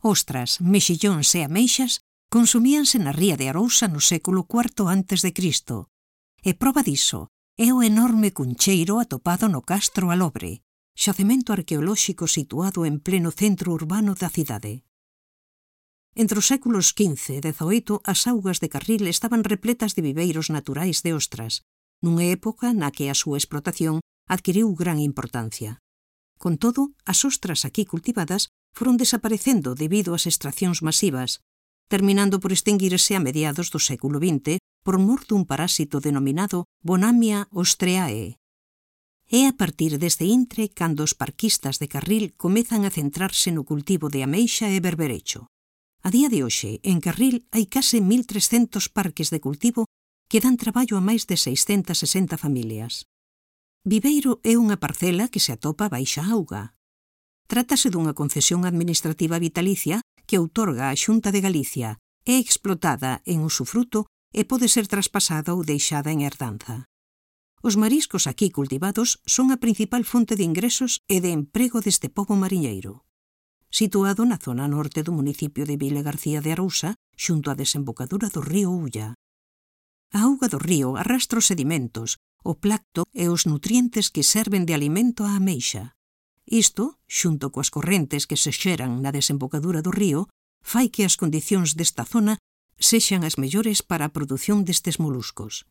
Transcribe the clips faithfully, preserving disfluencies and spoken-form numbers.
Ostras, mexillóns e ameixas consumíanse na ría de Arousa no século cuarto antes de Cristo. E proba diso é o enorme cuncheiro atopado no Castro Alobre, xacemento arqueolóxico situado en pleno centro urbano da cidade. Entre os séculos quince e dezaoito, as augas de Carril estaban repletas de viveiros naturais de ostras, nunha época na que a súa explotación adquiriu gran importancia. Con todo, as ostras aquí cultivadas foron desaparecendo debido ás extraccións masivas, terminando por extinguirse a mediados do século vinte por mor dun parásito denominado Bonamia ostreae. É a partir deste intre cando os parquistas de Carril comezan a centrarse no cultivo de ameixa e berberecho. A día de hoxe, en Carril hai case mil trescentos parques de cultivo que dan traballo a máis de seiscentas sesenta familias. Viveiro é unha parcela que se atopa baixa auga. Trátase dunha concesión administrativa vitalicia que outorga a Xunta de Galicia, é explotada en usufruto e pode ser traspasada ou deixada en herdanza. Os mariscos aquí cultivados son a principal fonte de ingresos e de emprego deste pobo mariñeiro. Situado na zona norte do municipio de Vilagarcía de Arousa, xunto á desembocadura do río Ulla. A auga do río arrastra os sedimentos, o placto e os nutrientes que serven de alimento á ameixa. Isto, xunto coas correntes que se xeran na desembocadura do río, fai que as condicións desta zona sexan as mellores para a produción destes moluscos.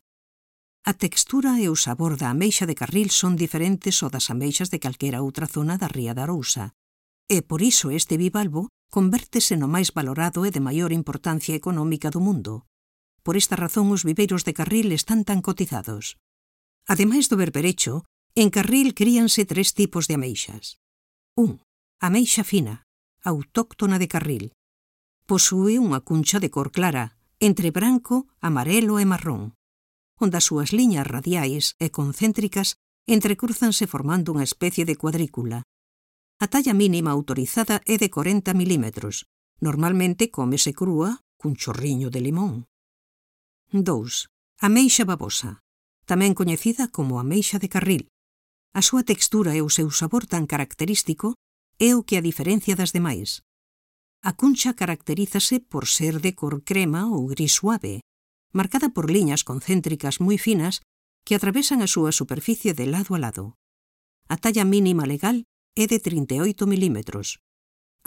A textura e o sabor da ameixa de Carril son diferentes ao das ameixas de calquera outra zona da ría de Arousa, e por iso este bivalvo convértese no máis valorado e de maior importancia económica do mundo. Por esta razón os viveiros de Carril están tan cotizados. Ademais do berberecho, en Carril críanse tres tipos de ameixas. un. Ameixa fina, autóctona de Carril. Posúe unha cuncha de cor clara, entre branco, amarelo e marrón, onde as súas liñas radiais e concéntricas entrecrúzanse formando unha especie de cuadrícula. A talla mínima autorizada é de corenta milímetros. Normalmente cómese crúa cun chorriño de limón. dous. Ameixa babosa, tamén coñecida como ameixa de Carril. A súa textura e o seu sabor tan característico é o que a diferencia das demais. A cuncha caracterízase por ser de cor crema ou gris suave, marcada por liñas concéntricas moi finas que atravesan a súa superficie de lado a lado. A talla mínima legal é de trinta e oito milímetros.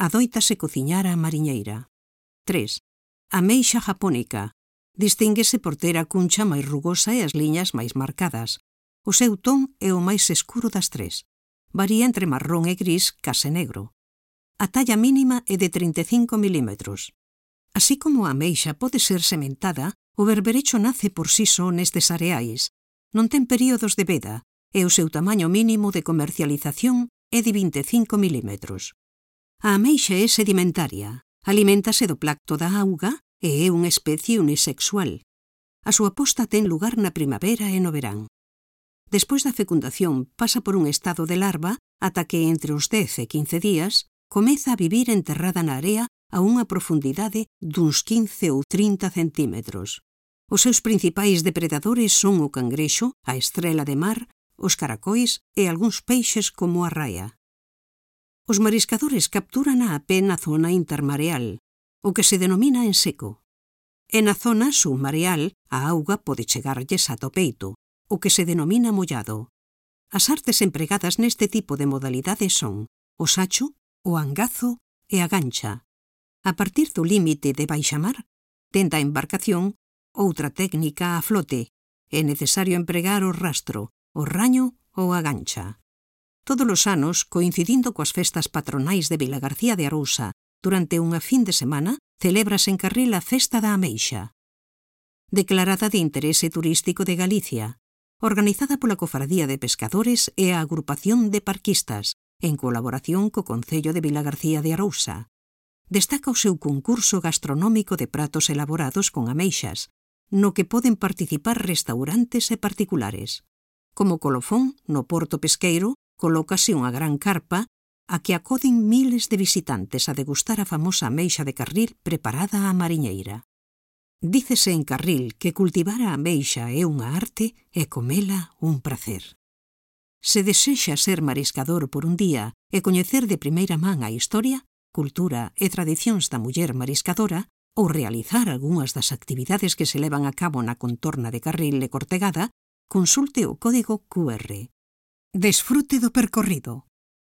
Adóitase cociñar á mariñeira. tres. Ameixa japónica. Distínguese por ter a cuncha máis rugosa e as liñas máis marcadas. O seu ton é o máis escuro das tres. Varía entre marrón e gris case negro. A talla mínima é de trinta e cinco milímetros. Así como a ameixa pode ser sementada, o berberecho nace por si só nestes areais. Non ten períodos de veda e o seu tamaño mínimo de comercialización é de vinte e cinco milímetros. A ameixa é sedimentaria, aliméntase do placto da auga e é unha especie unisexual. A súa posta ten lugar na primavera e no verán. Despois da fecundación pasa por un estado de larva ata que entre os dez e quince días comeza a vivir enterrada na area a unha profundidade duns quince ou trinta centímetros. Os seus principais depredadores son o cangrexo, a estrela de mar, os caracois e algúns peixes como a raia. Os mariscadores capturan a pé na zona intermareal, o que se denomina en seco. E na zona submareal a auga pode chegarlles ata o peito, o que se denomina mollado. As artes empregadas neste tipo de modalidade son o sacho, o angazo e a gancha. A partir do límite de baixamar, dende a embarcación, outra técnica a flote, é necesario empregar o rastro, o raño ou a gancha. Todos os anos, coincidindo coas festas patronais de Vilagarcía de Arousa, durante unha fin de semana, celébrase en Carril a Festa da Ameixa. Declarada de interese turístico de Galicia, organizada pola Cofradía de Pescadores e a Agrupación de Parquistas, en colaboración co Concello de Vilagarcía de Arousa. Destaca o seu concurso gastronómico de pratos elaborados con ameixas, no que poden participar restaurantes e particulares. Como colofón, no porto pesqueiro, colócase unha gran carpa a que acoden miles de visitantes a degustar a famosa ameixa de Carril preparada á mariñeira. Dícese en Carril que cultivar a ameixa é unha arte e comela un prazer. Se desexa ser mariscador por un día e coñecer de primeira man a historia, cultura e tradicións da muller mariscadora ou realizar algunhas das actividades que se levan a cabo na contorna de Carril e Cortegada, consulte o código Q R. Desfrute do percorrido.